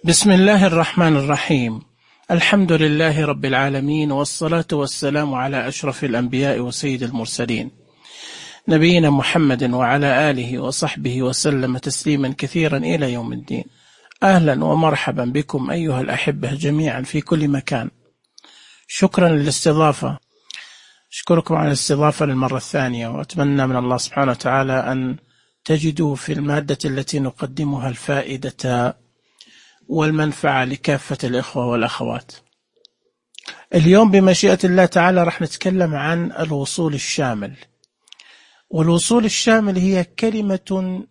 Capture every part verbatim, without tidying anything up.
بسم الله الرحمن الرحيم. الحمد لله رب العالمين، والصلاة والسلام على أشرف الأنبياء وسيد المرسلين، نبينا محمد وعلى آله وصحبه وسلم تسليما كثيرا إلى يوم الدين. أهلا ومرحبا بكم أيها الأحبة جميعا في كل مكان. شكرا للاستضافة، أشكركم على الاستضافة للمرة الثانية، وأتمنى من الله سبحانه وتعالى أن تجدوا في المادة التي نقدمها الفائدة والمنفعة لكافة الإخوة والأخوات. اليوم بمشيئة الله تعالى رح نتكلم عن الوصول الشامل. والوصول الشامل هي كلمة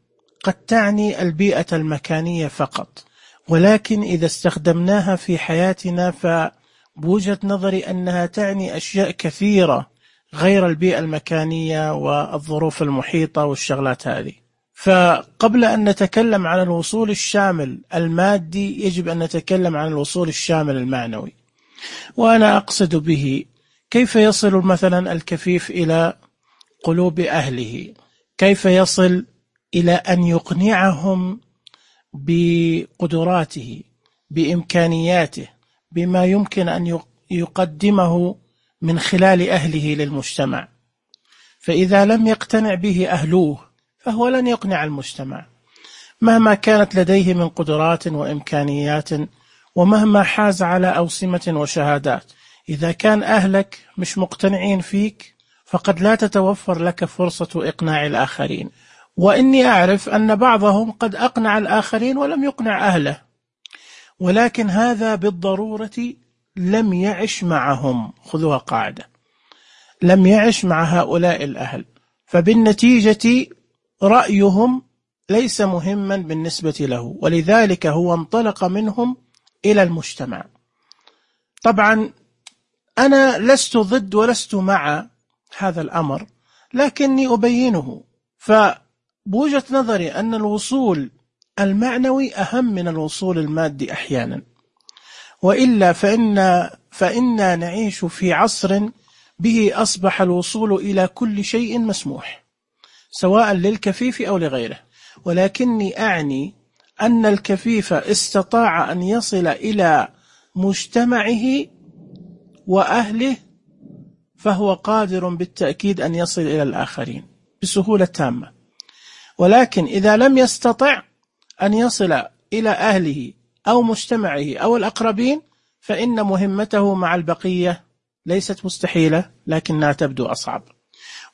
قد تعني البيئة المكانية فقط، ولكن إذا استخدمناها في حياتنا فبوجهة نظري أنها تعني أشياء كثيرة غير البيئة المكانية والظروف المحيطة والشغلات هذه. فقبل أن نتكلم عن الوصول الشامل المادي يجب أن نتكلم عن الوصول الشامل المعنوي، وأنا أقصد به كيف يصل مثلا الكفيف إلى قلوب أهله، كيف يصل إلى أن يقنعهم بقدراته، بإمكانياته، بما يمكن أن يقدمه من خلال أهله للمجتمع. فإذا لم يقتنع به أهلوه فهو لن يقنع المجتمع مهما كانت لديه من قدرات وإمكانيات، ومهما حاز على أوسمة وشهادات. إذا كان أهلك مش مقتنعين فيك فقد لا تتوفر لك فرصة إقناع الآخرين. وإني أعرف أن بعضهم قد أقنع الآخرين ولم يقنع أهله، ولكن هذا بالضرورة لم يعش معهم. خذوها قاعدة، لم يعش مع هؤلاء الأهل، فبالنتيجة رأيهم ليس مهما بالنسبة له، ولذلك هو انطلق منهم إلى المجتمع. طبعا أنا لست ضد ولست مع هذا الأمر، لكني أبينه. فبوجهة نظري أن الوصول المعنوي أهم من الوصول المادي أحيانا، وإلا فإن فإننا نعيش في عصر به أصبح الوصول إلى كل شيء مسموح، سواء للكفيف أو لغيره. ولكني أعني أن الكفيف استطاع أن يصل إلى مجتمعه وأهله، فهو قادر بالتأكيد أن يصل إلى الآخرين بسهولة تامة. ولكن إذا لم يستطع أن يصل إلى أهله أو مجتمعه أو الأقربين فإن مهمته مع البقية ليست مستحيلة، لكنها تبدو أصعب.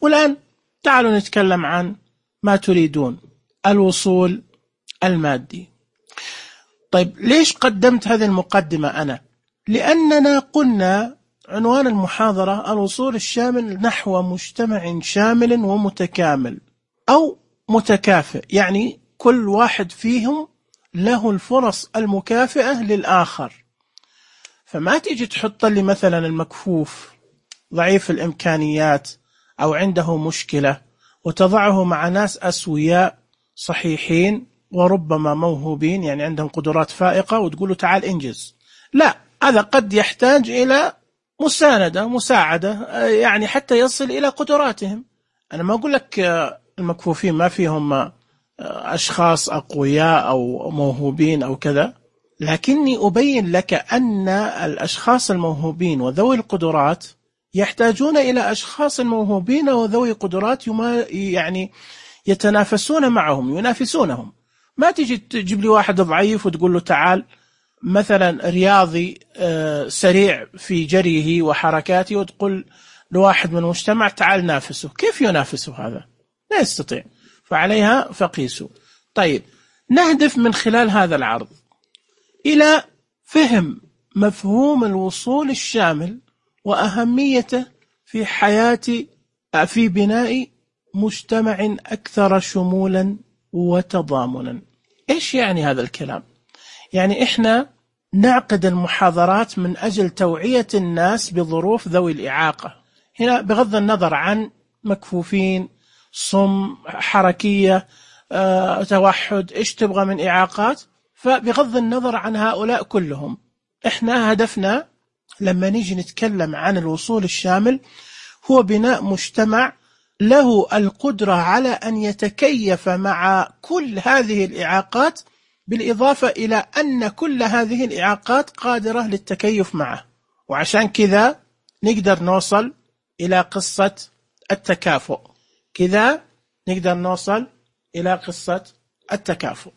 والآن تعالوا نتكلم عن ما تريدون، الوصول المادي. طيب ليش قدمت هذه المقدمة أنا؟ لأننا قلنا عنوان المحاضرة الوصول الشامل نحو مجتمع شامل ومتكامل أو متكافئ، يعني كل واحد فيهم له الفرص المكافئة للآخر. فما تيجي تحط لي مثلا المكفوف ضعيف الإمكانيات أو عنده مشكلة وتضعه مع ناس أسوياء صحيحين وربما موهوبين، يعني عندهم قدرات فائقة، وتقول له تعال انجز. لا، هذا قد يحتاج إلى مساندة مساعدة، يعني حتى يصل إلى قدراتهم. أنا ما أقول لك المكفوفين ما فيهم أشخاص أقوياء أو موهوبين أو كذا، لكني أبين لك أن الأشخاص الموهوبين وذوي القدرات يحتاجون إلى أشخاص موهوبين وذوي قدرات يعني يتنافسون معهم، ينافسونهم. ما تيجي تجيب لي واحد ضعيف وتقول له تعال مثلا رياضي سريع في جريه وحركاته، وتقول لواحد من المجتمع تعال نافسه. كيف ينافسه هذا؟ لا يستطيع. فعليها فقيسوا. طيب نهدف من خلال هذا العرض إلى فهم مفهوم الوصول الشامل وأهميته في حياة في بناء مجتمع أكثر شمولا وتضامنا. إيش يعني هذا الكلام؟ يعني إحنا نعقد المحاضرات من أجل توعية الناس بظروف ذوي الإعاقة، هنا بغض النظر عن مكفوفين، صم، حركية، أه، توحد، إيش تبغى من إعاقات. فبغض النظر عن هؤلاء كلهم، إحنا هدفنا لما نيجي نتكلم عن الوصول الشامل هو بناء مجتمع له القدرة على أن يتكيف مع كل هذه الإعاقات بالإضافة إلى أن كل هذه الإعاقات قادرة للتكيف معه. وعشان كذا نقدر نوصل إلى قصة التكافؤ، كذا نقدر نوصل إلى قصة التكافؤ.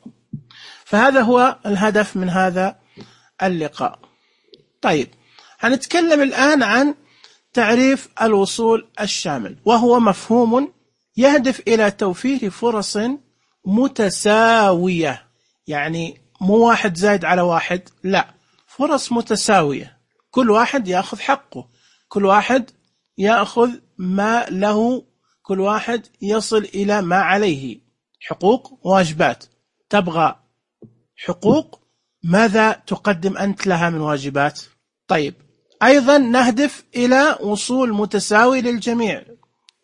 فهذا هو الهدف من هذا اللقاء. طيب، هنتكلم الآن عن تعريف الوصول الشامل، وهو مفهوم يهدف إلى توفير فرص متساوية، يعني مو واحد زايد على واحد، لا، فرص متساوية، كل واحد يأخذ حقه، كل واحد يأخذ ما له، كل واحد يصل إلى ما عليه، حقوق وواجبات. تبغى حقوق، ماذا تقدم أنت لها من واجبات؟ طيب، أيضا نهدف إلى وصول متساوي للجميع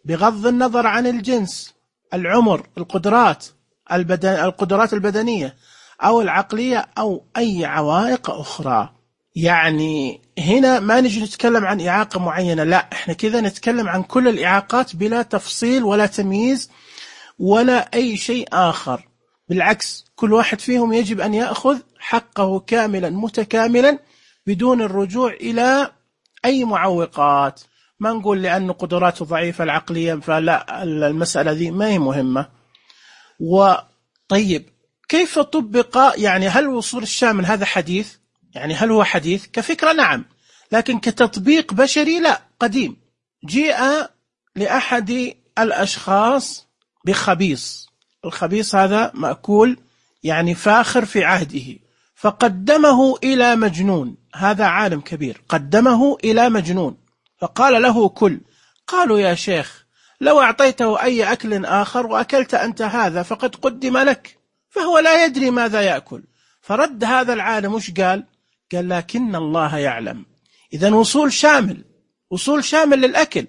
بغض النظر عن الجنس، العمر، القدرات البدن القدرات البدنية أو العقلية أو أي عوائق أخرى. يعني هنا ما نجي نتكلم عن إعاقة معينة، لا، إحنا كذا نتكلم عن كل الإعاقات بلا تفصيل ولا تمييز ولا أي شيء آخر. بالعكس، كل واحد فيهم يجب أن يأخذ حقه كاملا متكاملا بدون الرجوع إلى أي معوقات. ما نقول لأن قدراته ضعيفة العقلية فلا، المسألة ذي ما هي مهمة. وطيب، كيف طبق؟ يعني هل الوصول الشامل هذا حديث؟ يعني هل هو حديث؟ كفكرة نعم، لكن كتطبيق بشري لا، قديم. جيء لأحد الأشخاص بخبيص، الخبيص هذا مأكول يعني فاخر في عهده، فقدمه إلى مجنون، هذا عالم كبير، قدمه إلى مجنون فقال له كل. قالوا يا شيخ لو أعطيته أي أكل آخر وأكلت أنت هذا فقد قدم لك، فهو لا يدري ماذا يأكل. فرد هذا العالم وش قال؟ قال لكن الله يعلم. إذن وصول شامل، وصول شامل للأكل،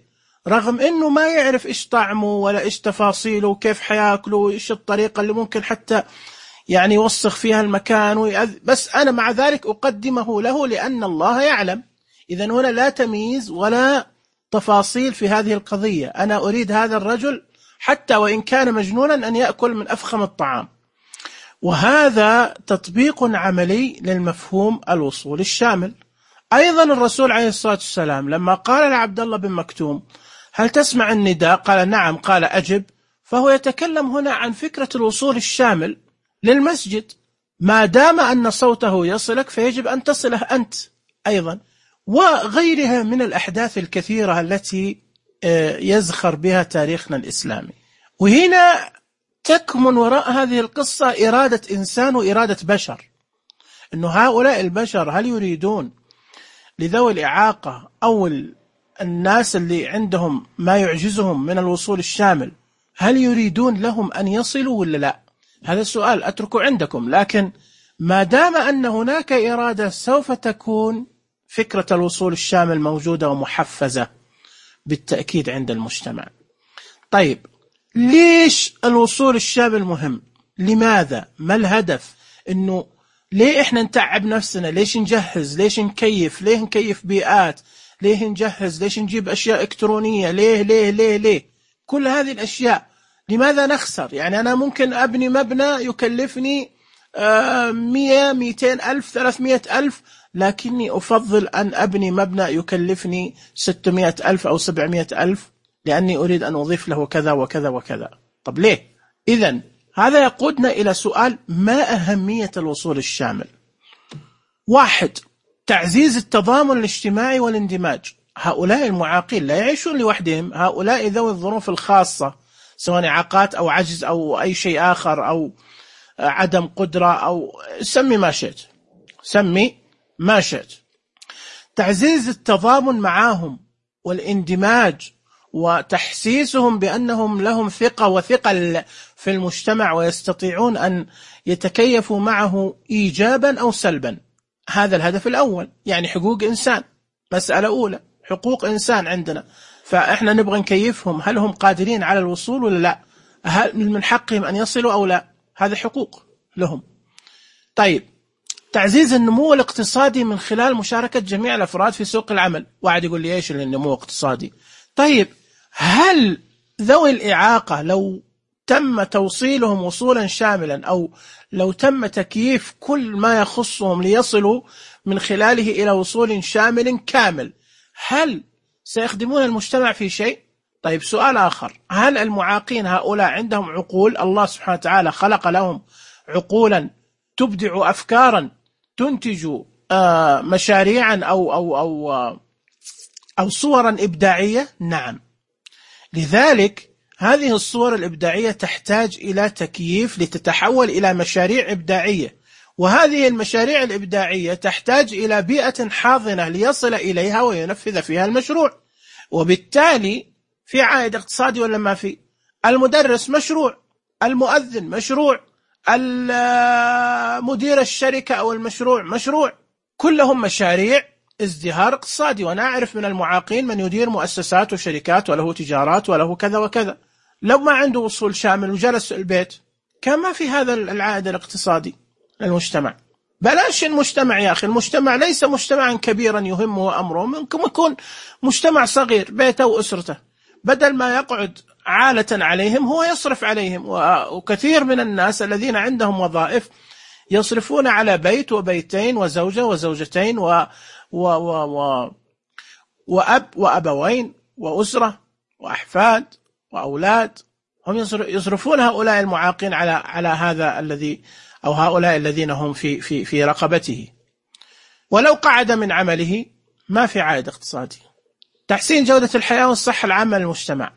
رغم أنه ما يعرف إيش طعمه ولا إيش تفاصيله وكيف حياكله وإيش الطريقة اللي ممكن حتى يعني يوسخ فيها المكان ويأذ، بس أنا مع ذلك أقدمه له لأن الله يعلم. إذن هنا لا تمييز ولا تفاصيل في هذه القضية، أنا أريد هذا الرجل حتى وإن كان مجنونا أن يأكل من أفخم الطعام. وهذا تطبيق عملي للمفهوم الوصول الشامل. أيضا الرسول عليه الصلاة والسلام لما قال لعبد الله بن مكتوم هل تسمع النداء؟ قال نعم، قال أجب. فهو يتكلم هنا عن فكرة الوصول الشامل للمسجد، ما دام أن صوته يصلك فيجب أن تصله أنت أيضا، وغيرها من الأحداث الكثيرة التي يزخر بها تاريخنا الإسلامي. وهنا تكمن وراء هذه القصة إرادة إنسان وإرادة بشر، أنه هؤلاء البشر هل يريدون لذوي الإعاقة أو الناس اللي عندهم ما يعجزهم من الوصول الشامل، هل يريدون لهم أن يصلوا ولا لا؟ هذا السؤال أتركه عندكم، لكن ما دام أن هناك إرادة سوف تكون فكرة الوصول الشامل موجودة ومحفزة بالتأكيد عند المجتمع. طيب، ليش الوصول الشامل مهم؟ لماذا؟ ما الهدف؟ إنه ليه إحنا نتعب نفسنا؟ ليش نجهز؟ ليش نكيف؟ ليه نكيف بيئات؟ ليه نجهز؟ ليش نجيب أشياء إلكترونية؟ ليه ليه ليه ليه كل هذه الأشياء؟ لماذا نخسر؟ يعني أنا ممكن أبني مبنى يكلفني مية ميتين ألف ثلاثمائة ألف، لكني أفضل أن أبني مبنى يكلفني ستمائة ألف أو سبعمائة ألف لأني أريد أن أضيف له كذا وكذا وكذا. طب ليه؟ إذن هذا يقودنا إلى سؤال: ما أهمية الوصول الشامل؟ واحد، تعزيز التضامن الاجتماعي والاندماج. هؤلاء المعاقين لا يعيشون لوحدهم، هؤلاء ذوي الظروف الخاصة، سواء إعاقات أو عجز أو أي شيء آخر أو عدم قدرة أو سمي ما شئت، سمي ما شئت. تعزيز التضامن معهم والاندماج وتحسيسهم بأنهم لهم ثقة وثقل في المجتمع ويستطيعون أن يتكيفوا معه إيجابا أو سلبا. هذا الهدف الأول، يعني حقوق إنسان، مسألة أولى، حقوق إنسان عندنا، فإحنا نبغى نكيفهم. هل هم قادرين على الوصول ولا لا؟ هل من حقهم أن يصلوا أو لا؟ هذا حقوق لهم. طيب، تعزيز النمو الاقتصادي من خلال مشاركة جميع الأفراد في سوق العمل. واحد يقول لي إيش النمو الاقتصادي؟ طيب، هل ذوي الإعاقة لو تم توصيلهم وصولا شاملا، أو لو تم تكييف كل ما يخصهم ليصلوا من خلاله إلى وصول شامل كامل، هل سيخدمون المجتمع في شيء؟ طيب سؤال آخر، هل المعاقين هؤلاء عندهم عقول؟ الله سبحانه وتعالى خلق لهم عقولا تبدع أفكارا تنتج آه مشاريعا أو, أو, أو, أو, أو صورا إبداعية؟ نعم. لذلك هذه الصور الإبداعية تحتاج إلى تكييف لتتحول إلى مشاريع إبداعية، وهذه المشاريع الإبداعية تحتاج إلى بيئة حاضنة ليصل إليها وينفذ فيها المشروع، وبالتالي في عائد اقتصادي ولا ما في؟ المدرس مشروع، المؤذن مشروع، مدير الشركة أو المشروع مشروع، كلهم مشاريع ازدهار اقتصادي. وأنا أعرف من المعاقين من يدير مؤسسات وشركات وله تجارات وله كذا وكذا، لو ما عنده وصول شامل وجلس البيت كان ما في هذا العائد الاقتصادي للمجتمع. بلاش المجتمع يا أخي، المجتمع ليس مجتمعا كبيرا يهمه أمره، ممكن يكون مجتمع صغير بيته وأسرته، بدل ما يقعد عالة عليهم هو يصرف عليهم. وكثير من الناس الذين عندهم وظائف يصرفون على بيت وبيتين وزوجة وزوجتين و و و و وأب وأبوين وأسرة وأحفاد وأولاد، هم يصرفون هؤلاء المعاقين على على هذا الذي أو هؤلاء الذين هم في في في رقبته. ولو قعد من عمله ما في عائد اقتصادي. تحسين جودة الحياة والصحة العامة للمجتمع،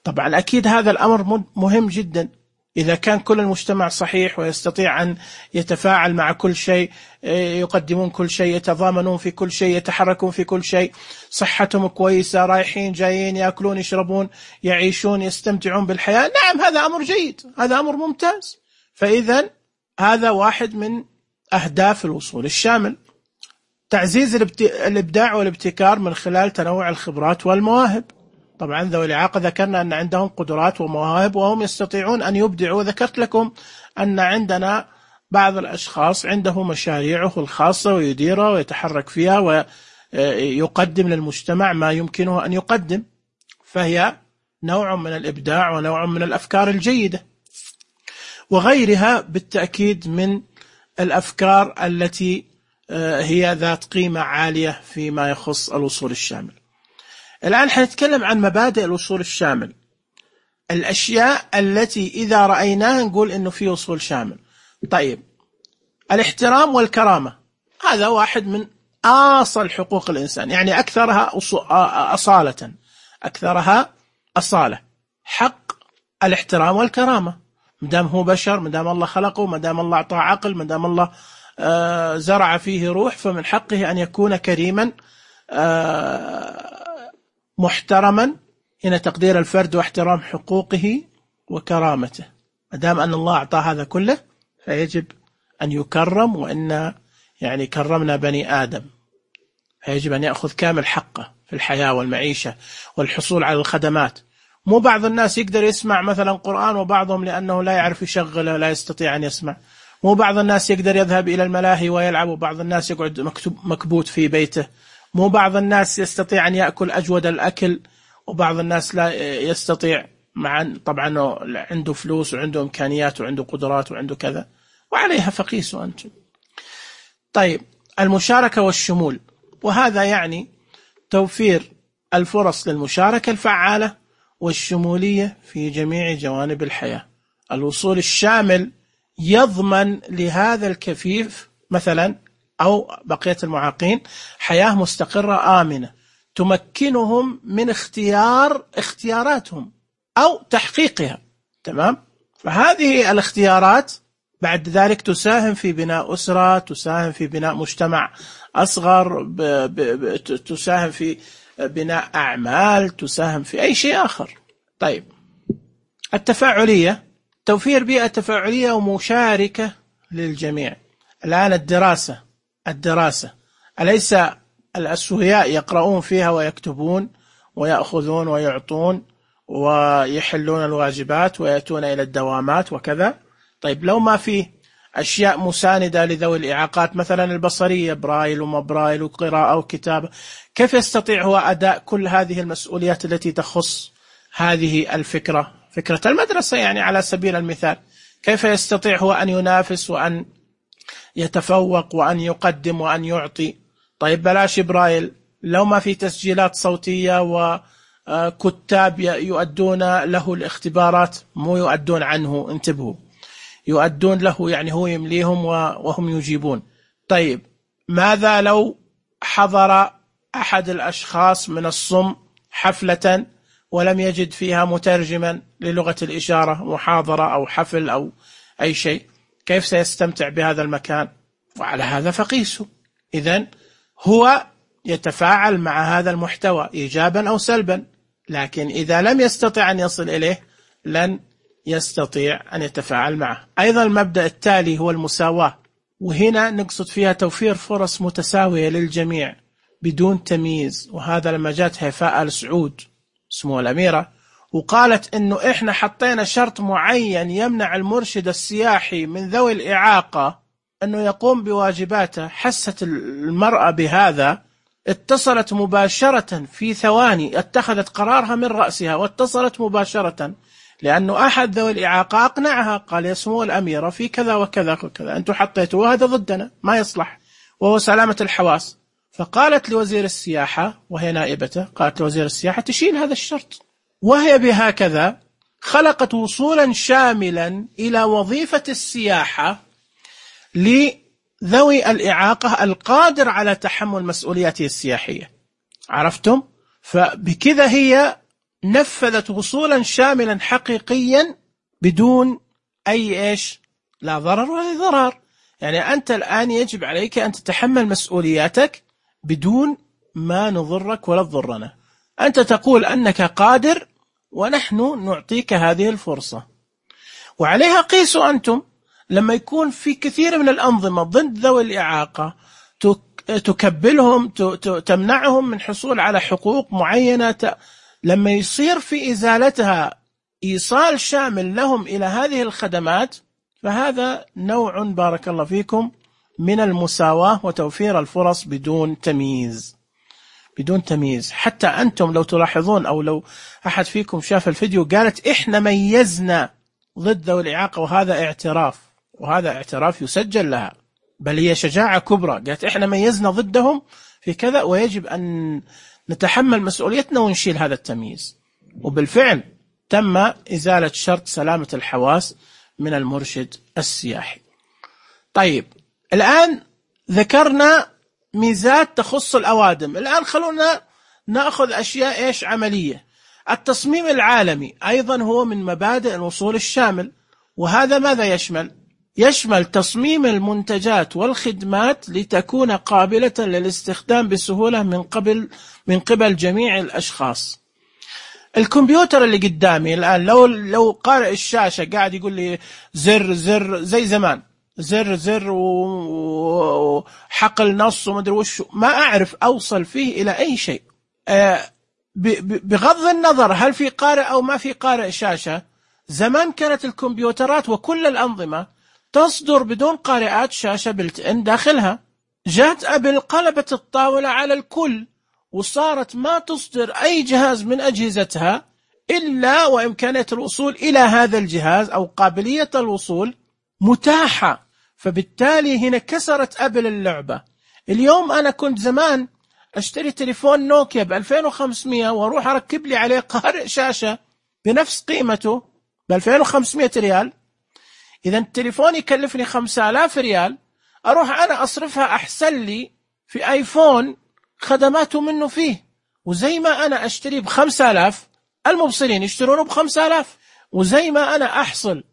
طبعا أكيد هذا الأمر مهم جدا. إذا كان كل المجتمع صحيح ويستطيع أن يتفاعل مع كل شيء، يقدمون كل شيء، يتضامنون في كل شيء، يتحركون في كل شيء، صحتهم كويسة، رايحين جايين، يأكلون يشربون يعيشون يستمتعون بالحياة، نعم هذا أمر جيد، هذا أمر ممتاز. فإذا هذا واحد من أهداف الوصول الشامل. تعزيز الإبداع والابتكار من خلال تنوع الخبرات والمواهب. طبعا ذوي الإعاقة ذكرنا أن عندهم قدرات ومواهب وهم يستطيعون أن يبدعوا. ذكرت لكم أن عندنا بعض الأشخاص عنده مشاريعه الخاصة ويديرها ويتحرك فيها ويقدم للمجتمع ما يمكنه أن يقدم، فهي نوع من الإبداع ونوع من الأفكار الجيدة، وغيرها بالتأكيد من الأفكار التي هي ذات قيمة عالية فيما يخص الوصول الشامل. الآن حنتكلم عن مبادئ الوصول الشامل، الأشياء التي إذا رأيناها نقول إنه في وصول شامل. طيب، الاحترام والكرامة هذا واحد من أصل حقوق الإنسان، يعني أكثرها أصالة، أكثرها أصالة، حق الاحترام والكرامة. مدام هو بشر، مدام الله خلقه، مدام الله أعطاه عقل، مدام الله آه زرع فيه روح، فمن حقه أن يكون كريما آه محترما. هنا تقدير الفرد واحترام حقوقه وكرامته. مدام أن الله أعطاه هذا كله فيجب أن يكرم، وإن يعني كرمنا بني آدم، فيجب أن يأخذ كامل حقه في الحياة والمعيشة والحصول على الخدمات. مو بعض الناس يقدر يسمع مثلا قرآن وبعضهم لأنه لا يعرف يشغله لا يستطيع أن يسمع. مو بعض الناس يقدر يذهب إلى الملاهي ويلعب وبعض الناس يقعد مكتوب مكبوت في بيته. مو بعض الناس يستطيع أن يأكل أجود الأكل وبعض الناس لا يستطيع، مع طبعا عنده فلوس وعنده إمكانيات وعنده قدرات وعنده كذا، وعليها فقيسوا أنتم. طيب، المشاركة والشمول، وهذا يعني توفير الفرص للمشاركة الفعالة والشمولية في جميع جوانب الحياة. الوصول الشامل يضمن لهذا الكفيف مثلا أو بقية المعاقين حياة مستقرة آمنة تمكنهم من اختيار اختياراتهم أو تحقيقها. تمام؟ فهذه الاختيارات بعد ذلك تساهم في بناء أسرة، تساهم في بناء مجتمع أصغر، ب ب ب تساهم في بناء أعمال، تساهم في أي شيء آخر. طيب، التفاعلية، توفير بيئة تفاعلية ومشاركة للجميع. الآن الدراسة الدراسة أليس الأسوياء يقرؤون فيها ويكتبون ويأخذون ويعطون ويحلون الواجبات ويأتون إلى الدوامات وكذا؟ طيب، لو ما فيه أشياء مساندة لذوي الإعاقات مثلا البصرية، برايل وما برايل وقراءة وكتابة، كيف يستطيع هو أداء كل هذه المسؤوليات التي تخص هذه الفكرة في فكرة المدرسة يعني على سبيل المثال، كيف يستطيع هو أن ينافس وأن يتفوق وأن يقدم وأن يعطي؟ طيب بلاش برايل، لو ما في تسجيلات صوتية وكتاب يؤدون له الاختبارات، مو يؤدون عنه، انتبهوا، يؤدون له يعني هو يمليهم وهم يجيبون. طيب ماذا لو حضر أحد الأشخاص من الصم حفلة ولم يجد فيها مترجما للغة الإشارة، محاضرة أو حفل أو أي شيء، كيف سيستمتع بهذا المكان؟ وعلى هذا فقيسه. إذن هو يتفاعل مع هذا المحتوى إيجابا أو سلبا، لكن إذا لم يستطع أن يصل إليه لن يستطيع أن يتفاعل معه. أيضا المبدأ التالي هو المساواة، وهنا نقصد فيها توفير فرص متساوية للجميع بدون تمييز. وهذا لما جاءت هيفاء آل سعود اسمه الأميرة وقالت إنه إحنا حطينا شرط معين يمنع المرشد السياحي من ذوي الإعاقة أنه يقوم بواجباته، حست المرأة بهذا، اتصلت مباشرة في ثواني، اتخذت قرارها من رأسها واتصلت مباشرة، لأنه أحد ذوي الإعاقة أقنعها، قال يا سمو الأميرة في كذا وكذا وكذا أنتم حطيتوا هذا ضدنا ما يصلح، وهو سلامة الحواس. فقالت لوزير السياحة وهي نائبته، قالت لوزير السياحة تشيل هذا الشرط، وهي بهكذا خلقت وصولا شاملا إلى وظيفة السياحة لذوي الإعاقة القادر على تحمل مسؤولياته السياحية. عرفتم؟ فبكذا هي نفذت وصولا شاملا حقيقيا بدون أي إيش، لا ضرر ولا ضرار. يعني أنت الآن يجب عليك أن تتحمل مسؤولياتك بدون ما نضرك ولا تضرنا. أنت تقول أنك قادر ونحن نعطيك هذه الفرصة، وعليها قيسوا أنتم. لما يكون في كثير من الأنظمة ضد ذوي الإعاقة تكبلهم، تمنعهم من حصول على حقوق معينة، لما يصير في إزالتها إيصال شامل لهم إلى هذه الخدمات، فهذا نوع بارك الله فيكم من المساواة وتوفير الفرص بدون تمييز، بدون تمييز. حتى أنتم لو تلاحظون أو لو أحد فيكم شاف الفيديو، قالت إحنا ميزنا ضد ذوي الإعاقة، وهذا اعتراف، وهذا اعتراف يسجل لها، بل هي شجاعة كبرى. قالت إحنا ميزنا ضدهم في كذا ويجب أن نتحمل مسؤوليتنا ونشيل هذا التمييز. وبالفعل تم إزالة شرط سلامة الحواس من المرشد السياحي. طيب الآن ذكرنا ميزات تخص الأوادم، الآن خلونا نأخذ أشياء إيش عملية. التصميم العالمي أيضا هو من مبادئ الوصول الشامل، وهذا ماذا يشمل؟ يشمل تصميم المنتجات والخدمات لتكون قابلة للاستخدام بسهولة من قبل من قبل جميع الأشخاص. الكمبيوتر اللي قدامي الآن، لو لو قارئ الشاشة قاعد يقول لي زر زر زي زمان، زر زر وحقل نص ومدري وش، ما أعرف أوصل فيه إلى أي شيء. بغض النظر هل في قارئ أو ما في قارئ شاشة، زمان كانت الكمبيوترات وكل الأنظمة تصدر بدون قارئات شاشة بلت إن داخلها. جاءت أبل قلبت الطاولة على الكل، وصارت ما تصدر أي جهاز من أجهزتها إلا وإمكانية الوصول إلى هذا الجهاز أو قابلية الوصول متاحة. فبالتالي هنا كسرت أبل اللعبة. اليوم أنا كنت زمان أشتري تليفون نوكيا بألفين وخمسمائة وأروح أركب لي عليه قارئ شاشة بنفس قيمته بألفين وخمسمائة ريال. إذا التليفون يكلفني خمسة آلاف ريال، أروح أنا أصرفها أحسن لي في آيفون خدماته منه فيه. وزي ما أنا أشتري بخمسة آلاف، المبصرين يشترونه بخمسة آلاف. وزي ما أنا أحصل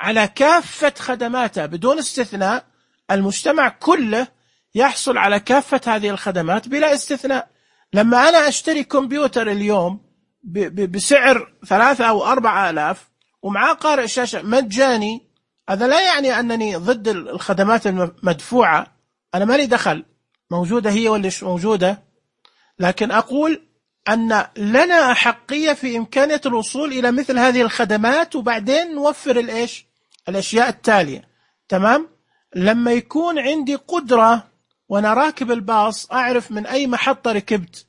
على كافة خدماته بدون استثناء، المجتمع كله يحصل على كافة هذه الخدمات بلا استثناء. لما أنا أشتري كمبيوتر اليوم بسعر ثلاثة أو أربعة آلاف ومعاه قارئ شاشة مجاني، هذا لا يعني أنني ضد الخدمات المدفوعة، أنا مالي دخل، موجودة هي ولا مش موجودة، لكن أقول أن لنا أحقية في إمكانية الوصول إلى مثل هذه الخدمات، وبعدين نوفر الإيش الأشياء التالية. تمام؟ لما يكون عندي قدرة وأنا راكب الباص أعرف من أي محطة ركبت،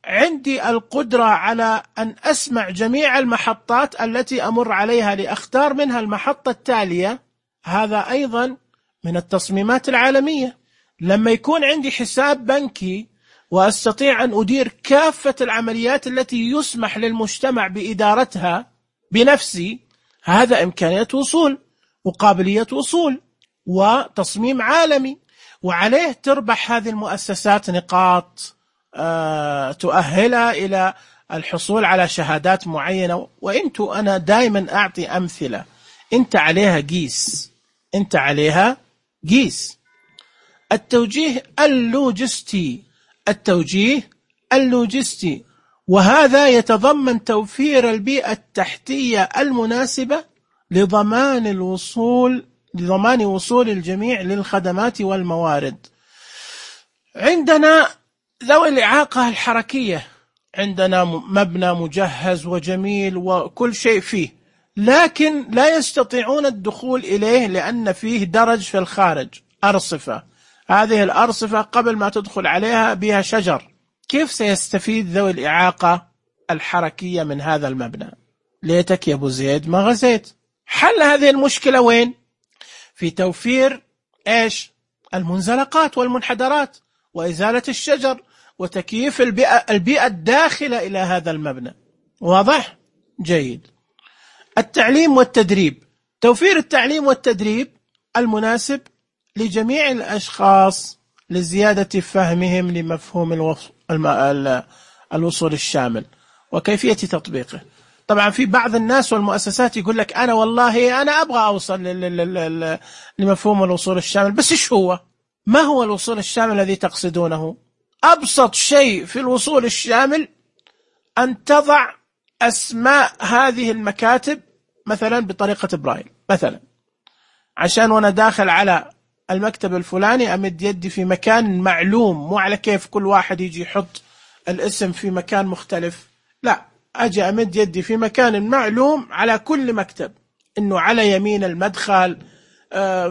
عندي القدرة على أن أسمع جميع المحطات التي أمر عليها لأختار منها المحطة التالية، هذا أيضا من التصميمات العالمية. لما يكون عندي حساب بنكي وأستطيع أن أدير كافة العمليات التي يسمح للمجتمع بإدارتها بنفسي، هذا إمكانية وصول وقابلية وصول وتصميم عالمي، وعليه تربح هذه المؤسسات نقاط أه تؤهلها إلى الحصول على شهادات معينة. وإنتو أنا دائما أعطي أمثلة، أنت عليها قيس، أنت عليها قيس. التوجيه اللوجستي، التوجيه اللوجستي، وهذا يتضمن توفير البيئة التحتية المناسبة لضمان الوصول لضمان وصول الجميع للخدمات والموارد. عندنا ذوي الإعاقة الحركية، عندنا مبنى مجهز وجميل وكل شيء فيه، لكن لا يستطيعون الدخول إليه لأن فيه درج في الخارج، أرصفة. هذه الأرصفة قبل ما تدخل عليها بها شجر. كيف سيستفيد ذوي الإعاقة الحركية من هذا المبنى؟ ليتك يا أبو زيد ما غزيت. حل هذه المشكلة وين؟ في توفير إيش؟ المنزلقات والمنحدرات وإزالة الشجر وتكييف البيئة, البيئة الداخلة إلى هذا المبنى. واضح؟ جيد. التعليم والتدريب، توفير التعليم والتدريب المناسب لجميع الأشخاص لزيادة فهمهم لمفهوم الوصول الشامل وكيفية تطبيقه. طبعا في بعض الناس والمؤسسات يقول لك أنا والله أنا أبغى أوصل لمفهوم الوصول الشامل، بس إيش هو؟ ما هو الوصول الشامل الذي تقصدونه؟ أبسط شيء في الوصول الشامل أن تضع أسماء هذه المكاتب مثلا بطريقة برايل، مثلا عشان وأنا داخل على المكتب الفلاني أمد يدي في مكان معلوم، مو على كيف كل واحد يجي يحط الاسم في مكان مختلف، لا، أجي أمد يدي في مكان معلوم على كل مكتب، إنه على يمين المدخل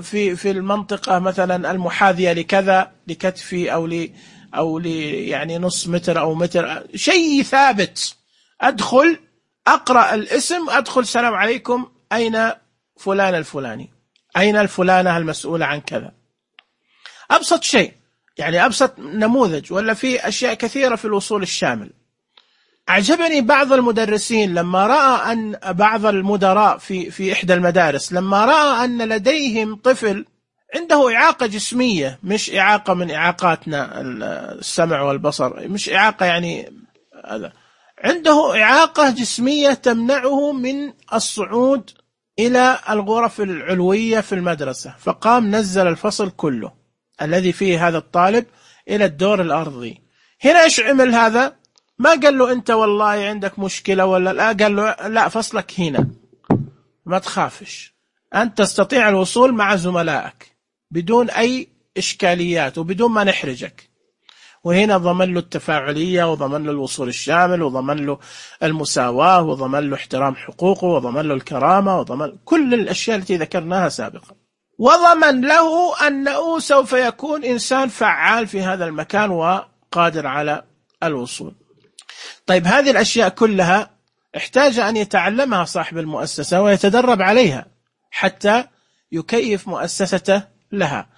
في في المنطقة مثلا المحاذية لكذا لكتفي أو ل أو ل يعني نص متر أو متر، شيء ثابت. أدخل أقرأ الاسم، أدخل سلام عليكم، أين فلان الفلاني، أين الفلانة المسؤولة عن كذا. أبسط شيء، يعني أبسط نموذج. ولا في أشياء كثيرة في الوصول الشامل. أعجبني بعض المدرسين لما رأى أن بعض المدراء في في إحدى المدارس لما رأى أن لديهم طفل عنده إعاقة جسمية، مش إعاقة من إعاقاتنا السمع والبصر، مش إعاقة يعني هذا، عنده إعاقة جسمية تمنعه من الصعود إلى الغرف العلوية في المدرسة، فقام نزل الفصل كله الذي فيه هذا الطالب إلى الدور الأرضي. هنا إيش عمل هذا؟ ما قال له أنت والله عندك مشكلة ولا لا، قال له لا، فصلك هنا، ما تخافش، أنت تستطيع الوصول مع زملائك بدون أي إشكاليات وبدون ما نحرجك. وهنا ضمن له التفاعلية، وضمن له الوصول الشامل، وضمن له المساواة، وضمن له احترام حقوقه، وضمن له الكرامة، وضمن كل الأشياء التي ذكرناها سابقا، وضمن له أنه سوف يكون إنسان فعال في هذا المكان وقادر على الوصول. طيب هذه الأشياء كلها احتاج أن يتعلمها صاحب المؤسسة ويتدرب عليها حتى يكيف مؤسسته لها.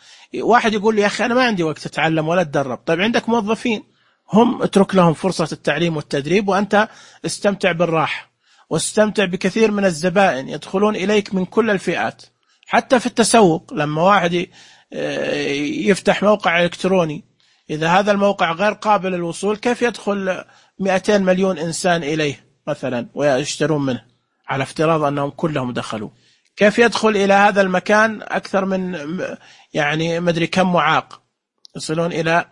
واحد يقول لي يا أخي أنا ما عندي وقت أتعلم ولا أتدرب. طيب عندك موظفين، هم اترك لهم فرصة التعليم والتدريب، وأنت استمتع بالراحة، واستمتع بكثير من الزبائن يدخلون إليك من كل الفئات. حتى في التسوق لما واحد يفتح موقع إلكتروني، إذا هذا الموقع غير قابل للوصول، كيف يدخل مئتين مليون إنسان إليه مثلا ويشترون منه، على افتراض أنهم كلهم دخلوا؟ كيف يدخل إلى هذا المكان أكثر من يعني مدري كم معاق، يصلون إلى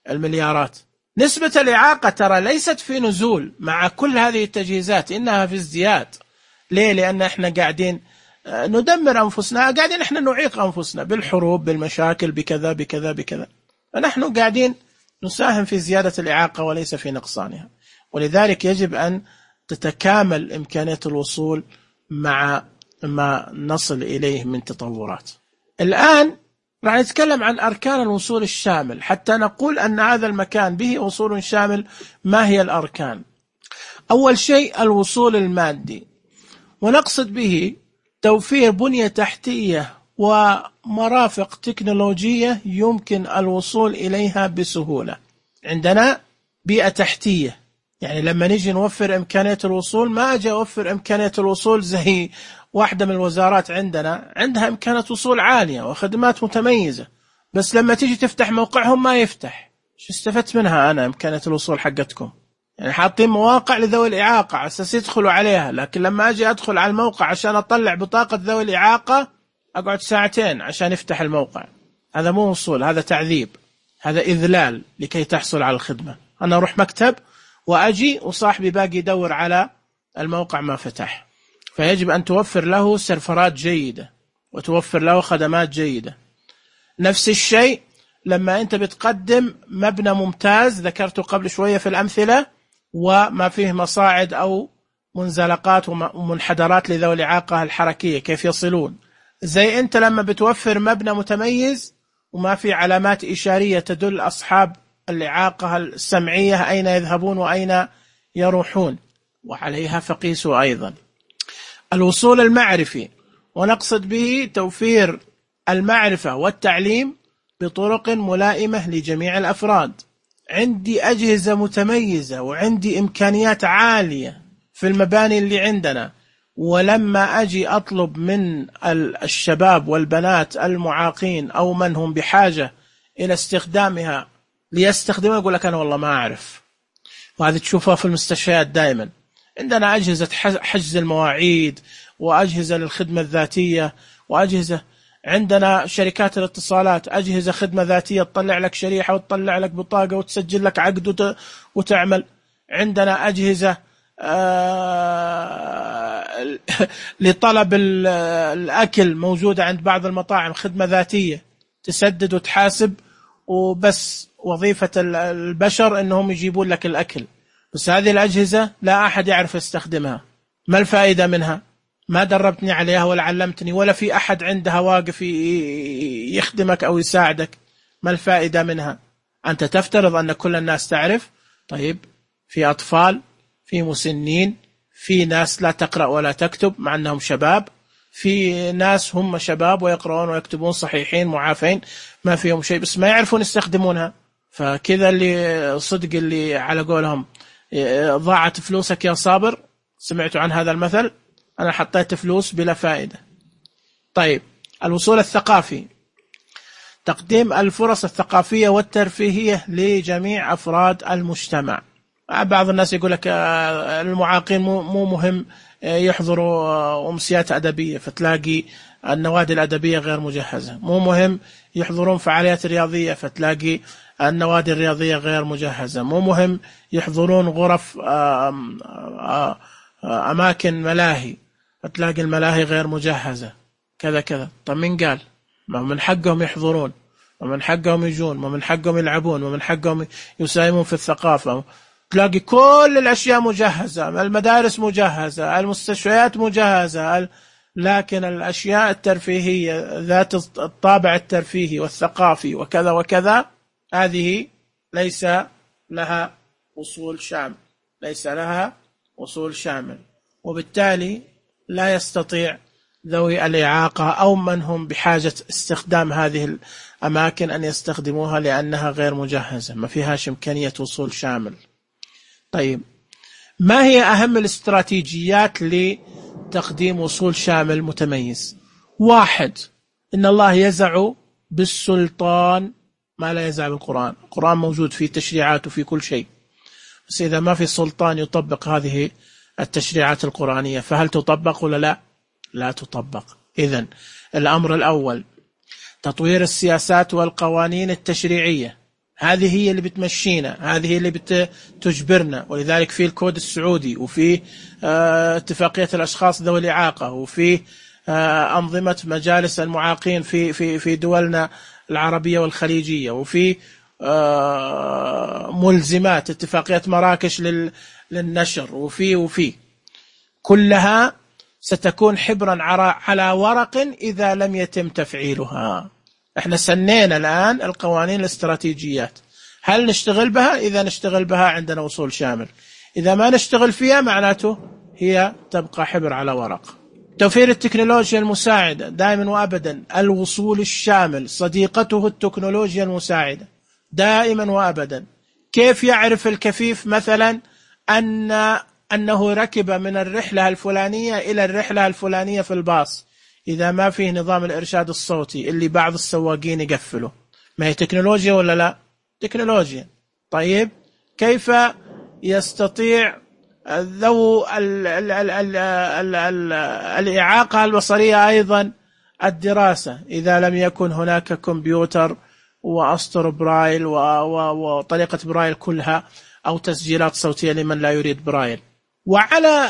المليارات. نسبة الإعاقة ترى ليست في نزول مع كل هذه التجهيزات، إنها في ازدياد. ليه؟ لأن إحنا قاعدين ندمر أنفسنا، قاعدين إحنا نعيق أنفسنا بالحروب، بالمشاكل، بكذا بكذا بكذا، فنحن قاعدين نساهم في زيادة الإعاقة وليس في نقصانها. ولذلك يجب أن تتكامل إمكانية الوصول مع ما نصل إليه من تطورات. الآن راح نتكلم عن أركان الوصول الشامل حتى نقول أن هذا المكان به وصول شامل. ما هي الأركان؟ أول شيء الوصول المادي، ونقصد به توفير بنية تحتية ومرافق تكنولوجية يمكن الوصول إليها بسهولة. عندنا بيئة تحتية، يعني لما نجي نوفر إمكانية الوصول ما أجي أوفر إمكانية الوصول زي واحدة من الوزارات عندنا عندها إمكانية وصول عالية وخدمات متميزة، بس لما تيجي تفتح موقعهم ما يفتح. شو استفدت منها أنا إمكانية الوصول حقتكم؟ يعني حاطين مواقع لذوي الإعاقة على أساس يدخلوا عليها، لكن لما أجي أدخل على الموقع عشان أطلع بطاقة ذوي الإعاقة أقعد ساعتين عشان يفتح الموقع. هذا مو وصول، هذا تعذيب، هذا إذلال لكي تحصل على الخدمة. أنا أروح مكتب وأجي وصاحبي باقي يدور على الموقع ما فتح. فيجب أن توفر له سيرفرات جيدة وتوفر له خدمات جيدة. نفس الشيء لما أنت بتقدم مبنى ممتاز ذكرته قبل شوية في الأمثلة وما فيه مصاعد أو منزلقات ومنحدرات لذوي الإعاقة الحركية كيف يصلون. زي أنت لما بتوفر مبنى متميز وما في علامات إشارية تدل أصحاب الإعاقة السمعية أين يذهبون وأين يروحون، وعليها فقيسوا أيضا. الوصول المعرفي، ونقصد به توفير المعرفة والتعليم بطرق ملائمة لجميع الأفراد. عندي أجهزة متميزة وعندي إمكانيات عالية في المباني اللي عندنا، ولما أجي أطلب من الشباب والبنات المعاقين أو من هم بحاجة إلى استخدامها ليستخدمها يقول لك أنا والله ما أعرف. وهذه تشوفها في المستشفيات دائما. عندنا أجهزة حجز المواعيد وأجهزة للخدمة الذاتية وأجهزة، عندنا شركات الاتصالات أجهزة خدمة ذاتية تطلع لك شريحة وتطلع لك بطاقة وتسجل لك عقد وتعمل. عندنا أجهزة لطلب الأكل موجودة عند بعض المطاعم، خدمة ذاتية تسدد وتحاسب وبس، وظيفة البشر أنهم يجيبون لك الأكل. بس هذه الأجهزة لا أحد يعرف يستخدمها. ما الفائدة منها؟ ما دربتني عليها ولا علمتني ولا في أحد عندها واقف يخدمك أو يساعدك. ما الفائدة منها؟ أنت تفترض أن كل الناس تعرف. طيب في أطفال، في مسنين، في ناس لا تقرأ ولا تكتب مع أنهم شباب، في ناس هم شباب ويقرؤون ويكتبون صحيحين معافين ما فيهم شيء بس ما يعرفون يستخدمونها. فكذا اللي صدق اللي على قولهم ضاعت فلوسك يا صابر. سمعتوا عن هذا المثل؟ أنا حطيت فلوس بلا فائدة. طيب الوصول الثقافي، تقديم الفرص الثقافية والترفيهية لجميع أفراد المجتمع. بعض الناس يقول لك المعاقين مو مهم يحضروا أمسيات أدبية، فتلاقي النوادي الأدبية غير مجهزة. مو مهم يحضرون فعاليات رياضية، فتلاقي النوادي الرياضية غير مجهزة. مو مهم يحضرون غرف أماكن ملاهي، فتلاقي الملاهي غير مجهزة كذا كذا. طب من قال؟ ما من حقهم يحضرون، ومن حقهم يجون، ومن حقهم يلعبون، ومن حقهم يساهمون في الثقافة. تلاقي كل الأشياء مجهزة، المدارس مجهزة، المستشفيات مجهزة، لكن الأشياء الترفيهية ذات الطابع الترفيهي والثقافي وكذا وكذا هذه ليس لها وصول شامل، ليس لها وصول شامل. وبالتالي لا يستطيع ذوي الإعاقة أو من هم بحاجة استخدام هذه الأماكن أن يستخدموها لأنها غير مجهزة، ما فيهاش إمكانية وصول شامل. طيب ما هي أهم الاستراتيجيات لتقديم وصول شامل متميز؟ واحد، إن الله يزع بالسلطان ما لا يزع بالقرآن. القرآن موجود فيه تشريعات وفي كل شيء، بس إذا ما في سلطان يطبق هذه التشريعات القرآنية فهل تطبق ولا لا؟ لا تطبق. إذن الأمر الأول تطوير السياسات والقوانين التشريعية، هذه هي اللي بتمشينا، هذه هي اللي بتجبرنا. ولذلك في الكود السعودي، وفي اتفاقية الأشخاص ذوي الإعاقة، وفي أنظمة مجالس المعاقين في في في دولنا العربية والخليجية، وفي ملزمات اتفاقية مراكش للنشر، وفي وفي كلها ستكون حبرا على ورق إذا لم يتم تفعيلها. احنا سنينا الآن القوانين الاستراتيجيات، هل نشتغل بها؟ إذا نشتغل بها عندنا وصول شامل، إذا ما نشتغل فيها معناته هي تبقى حبر على ورق. توفير التكنولوجيا المساعدة دائما وأبدا، الوصول الشامل صديقته التكنولوجيا المساعدة دائما وأبدا. كيف يعرف الكفيف مثلا أن أنه ركب من الرحلة الفلانية إلى الرحلة الفلانية في الباص إذا ما فيه نظام الإرشاد الصوتي اللي بعض السواقين يقفله؟ ما هي تكنولوجيا ولا لا؟ تكنولوجيا. طيب كيف يستطيع ذو ال ال ال ال ال ال الإعاقة البصرية أيضا الدراسة إذا لم يكن هناك كمبيوتر وأسطر برايل وطريقة برايل كلها أو تسجيلات صوتية لمن لا يريد برايل؟ وعلى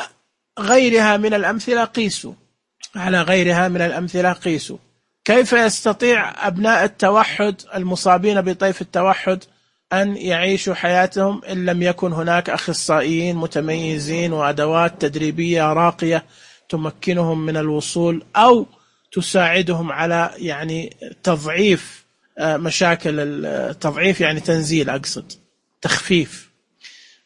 غيرها من الأمثلة قيسوا، على غيرها من الأمثلة قيسوا كيف يستطيع أبناء التوحد المصابين بطيف التوحد أن يعيشوا حياتهم إن لم يكن هناك أخصائيين متميزين وأدوات تدريبية راقية تمكنهم من الوصول أو تساعدهم على يعني تضعيف مشاكل التضعيف، يعني تنزيل، أقصد تخفيف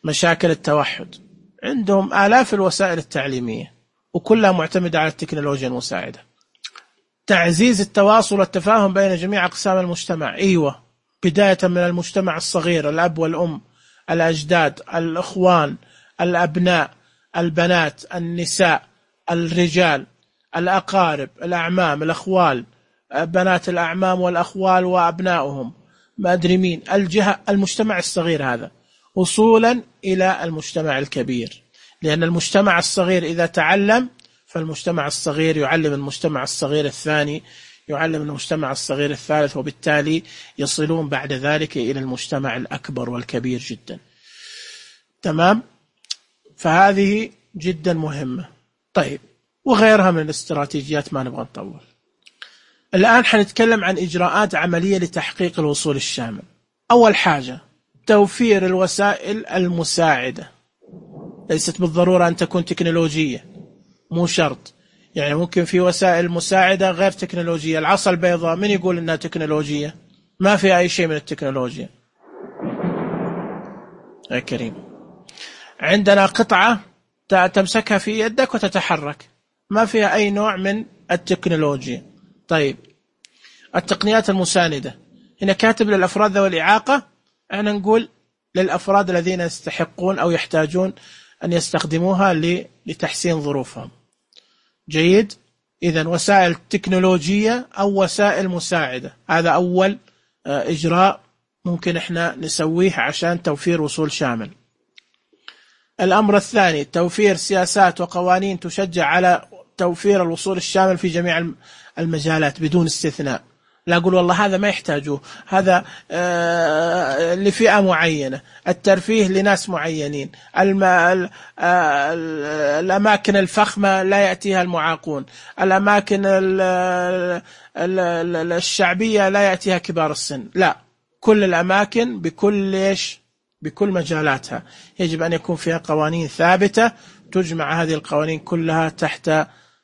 مشاكل التوحد. عندهم آلاف الوسائل التعليمية وكلها معتمدة على التكنولوجيا المساعدة. تعزيز التواصل والتفاهم بين جميع أقسام المجتمع، أيوة، بداية من المجتمع الصغير، الأب والأم، الأجداد، الأخوان، الأبناء، البنات، النساء، الرجال، الأقارب، الأعمام، الأخوال، بنات الأعمام والأخوال وأبنائهم، ما أدري مين، الجهة، المجتمع الصغير هذا وصولا إلى المجتمع الكبير. لأن المجتمع الصغير إذا تعلم فالمجتمع الصغير يعلم المجتمع الصغير الثاني، يعلم المجتمع الصغير الثالث، وبالتالي يصلون بعد ذلك إلى المجتمع الأكبر والكبير جدا. تمام؟ فهذه جدا مهمة. طيب، وغيرها من الاستراتيجيات ما نبغى نطول. الآن حنتكلم عن إجراءات عملية لتحقيق الوصول الشامل. أول حاجة توفير الوسائل المساعدة، ليست بالضرورة أن تكون تكنولوجية، مو شرط، يعني ممكن في وسائل مساعدة غير تكنولوجية. العصا البيضاء من يقول إنها تكنولوجية؟ ما فيها أي شيء من التكنولوجيا يا كريم. عندنا قطعة تمسكها في يدك وتتحرك، ما فيها أي نوع من التكنولوجيا. طيب، التقنيات المساندة هنا كاتب للأفراد ذوي الإعاقة، احنا نقول للأفراد الذين يستحقون أو يحتاجون أن يستخدموها لتحسين ظروفهم. جيد. إذن وسائل تكنولوجية أو وسائل مساعدة، هذا أول إجراء ممكن إحنا نسويه عشان توفير وصول شامل. الأمر الثاني توفير سياسات وقوانين تشجع على توفير الوصول الشامل في جميع المجالات بدون استثناء. لا أقول والله هذا ما يحتاجوه، هذا آه لفئة معينة، الترفيه لناس معينين، الأماكن الفخمة لا يأتيها المعاقون، الأماكن الشعبية لا يأتيها كبار السن. لا، كل الأماكن بكل ليش بكل مجالاتها يجب أن يكون فيها قوانين ثابتة تجمع هذه القوانين كلها تحت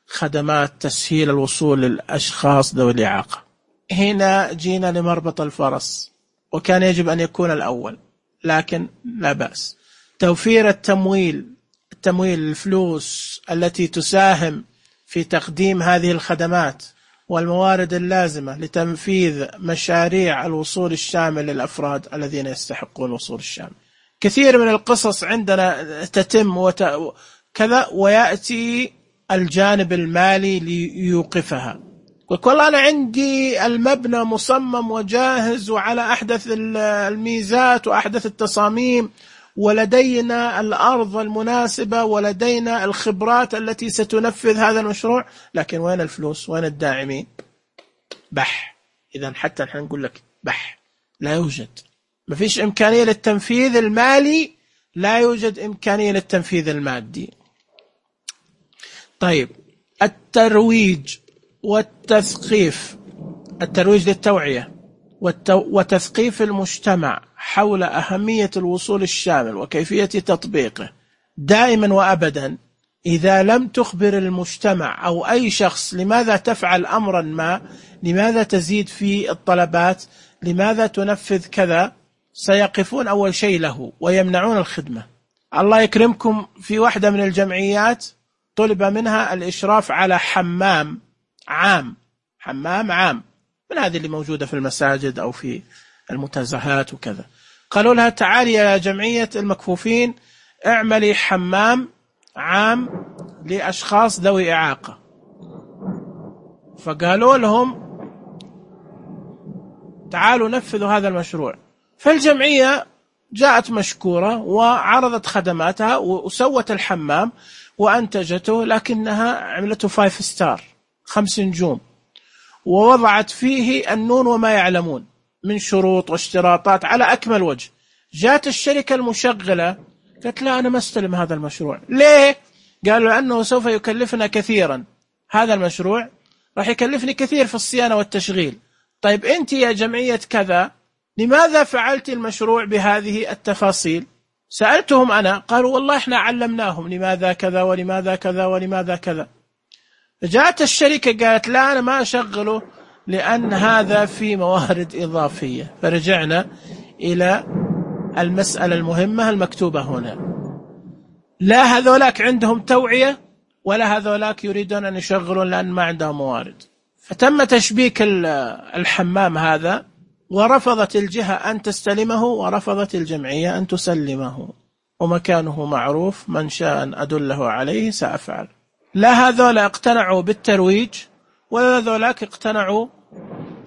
خدمات تسهيل الوصول للأشخاص ذوي الإعاقة. هنا جينا لمربط الفرس، وكان يجب أن يكون الأول، لكن لا بأس. توفير التمويل، التمويل الفلوس التي تساهم في تقديم هذه الخدمات والموارد اللازمة لتنفيذ مشاريع الوصول الشامل للأفراد الذين يستحقون الوصول الشامل. كثير من القصص عندنا تتم وكذا ويأتي الجانب المالي ليوقفها. والله أنا عندي المبنى مصمم وجاهز وعلى أحدث الميزات وأحدث التصاميم، ولدينا الأرض المناسبة ولدينا الخبرات التي ستنفذ هذا المشروع، لكن وين الفلوس؟ وين الداعمين؟ بح. إذن حتى نحن نقول لك بح، لا يوجد، ما فيش إمكانية للتنفيذ المالي، لا يوجد إمكانية للتنفيذ المادي. طيب، الترويج والتثقيف، الترويج للتوعية وتثقيف المجتمع حول أهمية الوصول الشامل وكيفية تطبيقه دائما وأبدا إذا لم تخبر المجتمع أو أي شخص لماذا تفعل أمرا ما، لماذا تزيد في الطلبات، لماذا تنفذ كذا، سيقفون أول شيء له ويمنعون الخدمة. الله يكرمكم، في واحدة من الجمعيات طلب منها الإشراف على حمام عام، حمام عام من هذه اللي موجودة في المساجد أو في المنتزهات وكذا. قالوا لها تعالي يا جمعية المكفوفين اعملي حمام عام لأشخاص ذوي إعاقة. فقالوا لهم تعالوا نفذوا هذا المشروع. فالجمعية جاءت مشكورة وعرضت خدماتها وسوت الحمام وأنتجته، لكنها عملته فايف ستار، خمس نجوم، ووضعت فيه النون وما يعلمون من شروط واشتراطات على أكمل وجه. جاءت الشركة المشغلة قالت لا أنا ما استلم هذا المشروع. ليه؟ قالوا لأنه سوف يكلفنا كثيرا، هذا المشروع راح يكلفني كثير في الصيانة والتشغيل. طيب أنت يا جمعية كذا لماذا فعلت المشروع بهذه التفاصيل؟ سألتهم أنا، قالوا والله إحنا علمناهم لماذا كذا ولماذا كذا ولماذا كذا. جاءت الشركة قالت لا أنا ما أشغله لأن هذا في موارد إضافية. فرجعنا إلى المسألة المهمة المكتوبة هنا، لا هذولاك عندهم توعية ولا هذولاك يريدون أن يشغلون لأن ما عندهم موارد. فتم تشبيك الحمام هذا، ورفضت الجهة أن تستلمه ورفضت الجمعية أن تسلمه، ومكانه معروف، من شاء أن أدله عليه سأفعل. لا هذولا اقتنعوا بالترويج ولا هذولاك اقتنعوا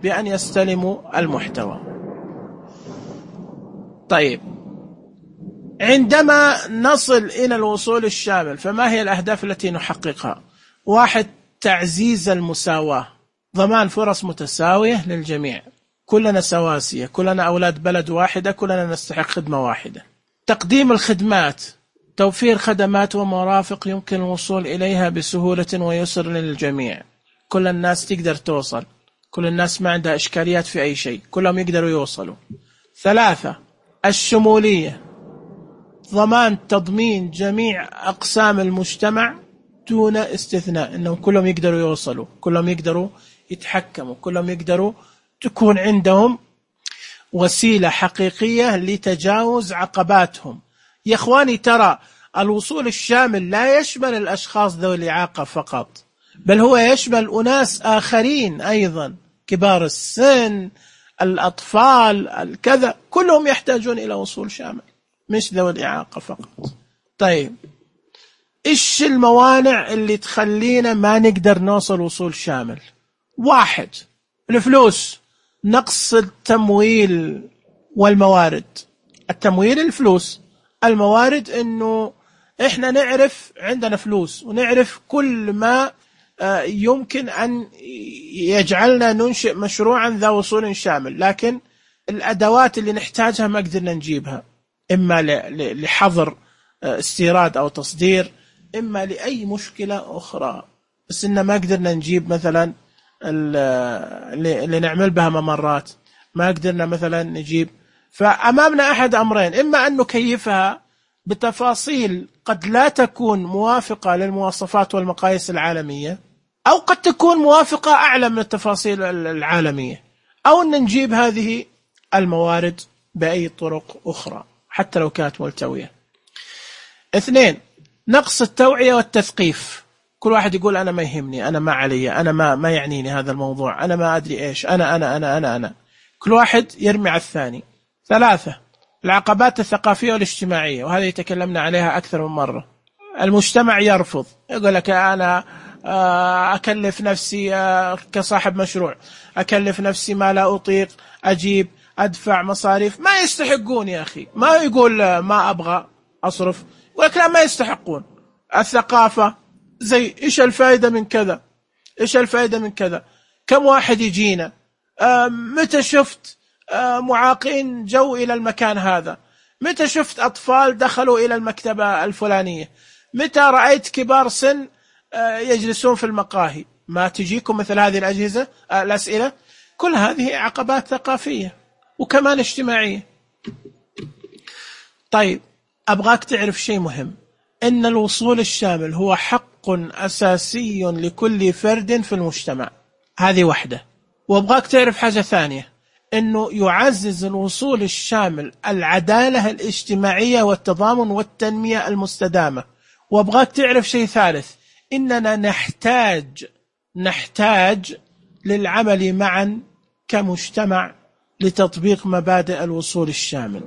بأن يستلموا المحتوى. طيب، عندما نصل إلى الوصول الشامل فما هي الأهداف التي نحققها؟ واحد، تعزيز المساواة، ضمان فرص متساوية للجميع، كلنا سواسية، كلنا أولاد بلد واحدة، كلنا نستحق خدمة واحدة. تقديم الخدمات، توفير خدمات ومرافق يمكن الوصول إليها بسهولة ويسر للجميع، كل الناس تقدر توصل، كل الناس ما عندها إشكاليات في أي شيء، كلهم يقدروا يوصلوا. ثلاثة، الشمولية، ضمان تضمين جميع أقسام المجتمع دون استثناء، إنهم كلهم يقدروا يوصلوا، كلهم يقدروا يتحكموا، كلهم يقدروا تكون عندهم وسيلة حقيقية لتجاوز عقباتهم. يا إخواني، ترى الوصول الشامل لا يشمل الأشخاص ذوي الإعاقة فقط، بل هو يشمل أناس آخرين أيضا، كبار السن، الأطفال، الكذا، كلهم يحتاجون إلى وصول شامل، مش ذوي الإعاقة فقط. طيب، إيش الموانع اللي تخلينا ما نقدر نوصل وصول شامل؟ واحد، الفلوس، نقص التمويل والموارد. التمويل الفلوس، الموارد إنه إحنا نعرف عندنا فلوس ونعرف كل ما يمكن أن يجعلنا ننشئ مشروعا ذا وصول شامل، لكن الأدوات اللي نحتاجها ما قدرنا نجيبها، إما لحظر استيراد أو تصدير، إما لأي مشكلة أخرى، بس إن ما قدرنا نجيب مثلا اللي نعمل بها ممرات، ما قدرنا مثلا نجيب. فأمامنا أحد أمرين، إما أن نكيفها بتفاصيل قد لا تكون موافقة للمواصفات والمقاييس العالمية، أو قد تكون موافقة أعلى من التفاصيل العالمية، أو أن نجيب هذه الموارد بأي طرق أخرى حتى لو كانت ملتوية. اثنين، نقص التوعية والتثقيف. كل واحد يقول أنا ما يهمني، أنا ما علي، أنا ما ما يعنيني هذا الموضوع، أنا ما أدري إيش، أنا أنا أنا أنا أنا كل واحد يرمي على الثاني. ثلاثة، العقبات الثقافية والاجتماعية، وهذه تكلمنا عليها أكثر من مرة. المجتمع يرفض، يقول لك أنا أكلف نفسي كصاحب مشروع، أكلف نفسي ما لا أطيق، أجيب أدفع مصاريف، ما يستحقون يا أخي. ما يقول ما أبغى أصرف، يقول لك لا ما يستحقون. الثقافة زي إيش الفائدة من كذا، إيش الفائدة من كذا، كم واحد يجينا، متى شفت معاقين جو إلى المكان هذا، متى شفت أطفال دخلوا إلى المكتبة الفلانية، متى رأيت كبار سن يجلسون في المقاهي. ما تجيكم مثل هذه الأجهزة الأسئلة؟ كل هذه عقبات ثقافية وكمان اجتماعية. طيب، أبغاك تعرف شيء مهم، إن الوصول الشامل هو حق أساسي لكل فرد في المجتمع. هذه واحدة. وأبغاك تعرف حاجة ثانية، إنه يعزز الوصول الشامل العدالة الاجتماعية والتضامن والتنمية المستدامة. وأبغاك تعرف شيء ثالث، إننا نحتاج نحتاج للعمل معا كمجتمع لتطبيق مبادئ الوصول الشامل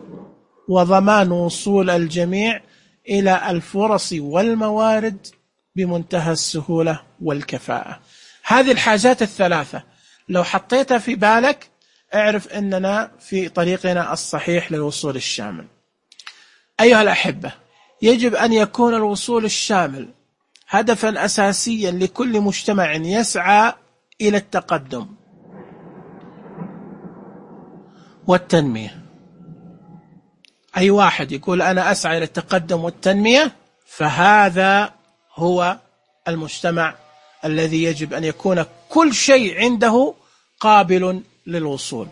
وضمان وصول الجميع إلى الفرص والموارد بمنتهى السهولة والكفاءة. هذه الحاجات الثلاثة لو حطيتها في بالك اعرف أننا في طريقنا الصحيح للوصول الشامل. أيها الأحبة، يجب أن يكون الوصول الشامل هدفا أساسيا لكل مجتمع يسعى إلى التقدم والتنمية. أي واحد يقول أنا أسعى إلى التقدم والتنمية فهذا هو المجتمع الذي يجب أن يكون كل شيء عنده قابل للوصول.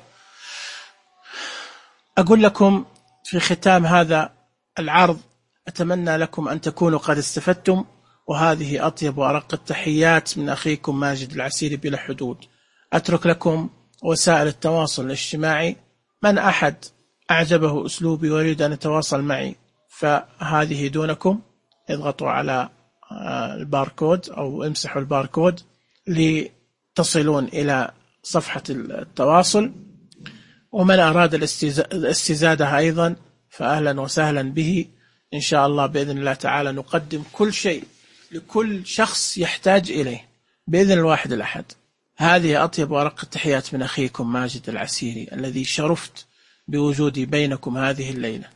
أقول لكم في ختام هذا العرض، أتمنى لكم أن تكونوا قد استفدتم، وهذه أطيب وأرق التحيات من أخيكم ماجد العسيري بلا حدود. أترك لكم وسائل التواصل الاجتماعي، من أحد أعجبه أسلوبي ويريد أن يتواصل معي فهذه دونكم، اضغطوا على الباركود أو امسحوا الباركود لتصلون إلى صفحة التواصل. ومن أراد الاستزادة أيضا فأهلا وسهلا به إن شاء الله. بإذن الله تعالى نقدم كل شيء لكل شخص يحتاج إليه بإذن الواحد الأحد. هذه أطيب وأرق التحيات من أخيكم ماجد العسيري الذي شرفت بوجودي بينكم هذه الليلة،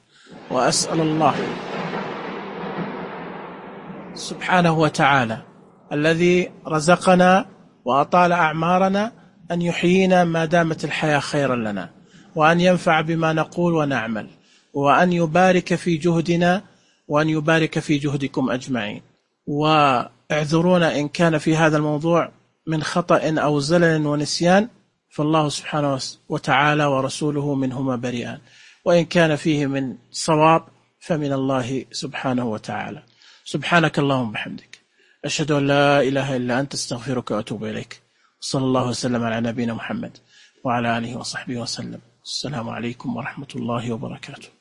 وأسأل الله سبحانه وتعالى الذي رزقنا وأطال أعمارنا أن يحيينا ما دامت الحياة خيرا لنا، وأن ينفع بما نقول ونعمل، وأن يبارك في جهدنا وأن يبارك في جهدكم أجمعين. واعذرونا إن كان في هذا الموضوع من خطأ أو زلل ونسيان، فالله سبحانه وتعالى ورسوله منهما بريئان، وإن كان فيه من صواب فمن الله سبحانه وتعالى. سبحانك اللهم وبحمدك، أشهد أن لا إله إلا أنت، استغفرك وأتوب إليك. صلى الله وسلم على نبينا محمد وعلى آله وصحبه وسلم. السلام عليكم ورحمة الله وبركاته.